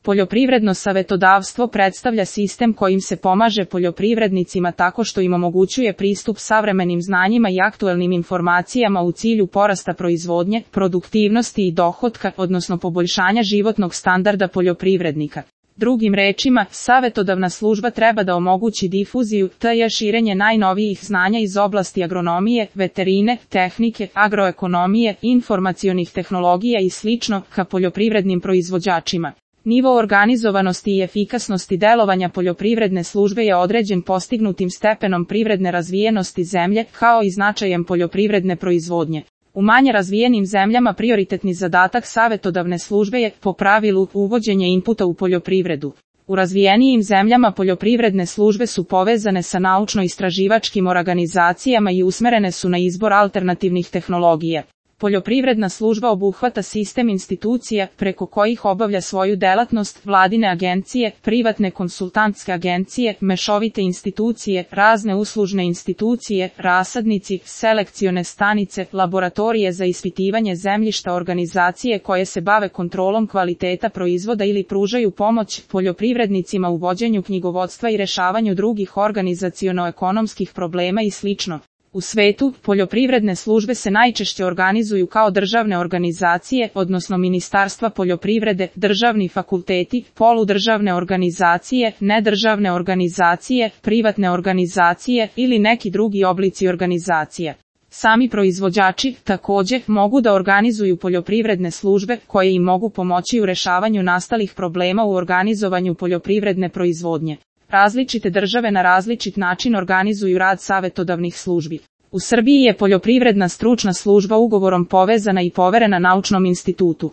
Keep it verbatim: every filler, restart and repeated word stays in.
Poljoprivredno savetodavstvo predstavlja sistem kojim se pomaže poljoprivrednicima tako što im omogućuje pristup savremenim znanjima i aktuelnim informacijama u cilju porasta proizvodnje, produktivnosti i dohotka, odnosno poboljšanja životnog standarda poljoprivrednika. Drugim rečima, savetodavna služba treba da omogući difuziju, to je širenje najnovijih znanja iz oblasti agronomije, veterine, tehnike, agroekonomije, informacionih tehnologija i slično ka poljoprivrednim proizvođačima. Nivo organizovanosti i efikasnosti delovanja poljoprivredne službe je određen postignutim stepenom privredne razvijenosti zemlje, kao i značajem poljoprivredne proizvodnje. U manje razvijenim zemljama prioritetni zadatak savetodavne službe je, po pravilu, uvođenje inputa u poljoprivredu. U razvijenijim zemljama poljoprivredne službe su povezane sa naučno-istraživačkim organizacijama i usmerene su na izbor alternativnih tehnologija. Poljoprivredna služba obuhvata sistem institucija preko kojih obavlja svoju delatnost, vladine agencije, privatne konsultantske agencije, mešovite institucije, razne uslužne institucije, rasadnici, selekcione stanice, laboratorije za ispitivanje zemljišta, organizacije koje se bave kontrolom kvaliteta proizvoda ili pružaju pomoć poljoprivrednicima u vođenju knjigovodstva i rešavanju drugih organizaciono-ekonomskih problema i slično. U svetu, poljoprivredne službe se najčešće organizuju kao državne organizacije, odnosno ministarstva poljoprivrede, državni fakulteti, poludržavne organizacije, nedržavne organizacije, privatne organizacije ili neki drugi oblici organizacija. Sami proizvođači, također, mogu da organizuju poljoprivredne službe, koje im mogu pomoći u rešavanju nastalih problema u organizovanju poljoprivredne proizvodnje. Različite države na različit način organizuju rad savetodavnih službi. U Srbiji je poljoprivredna stručna služba ugovorom povezana i poverena naučnom institutu.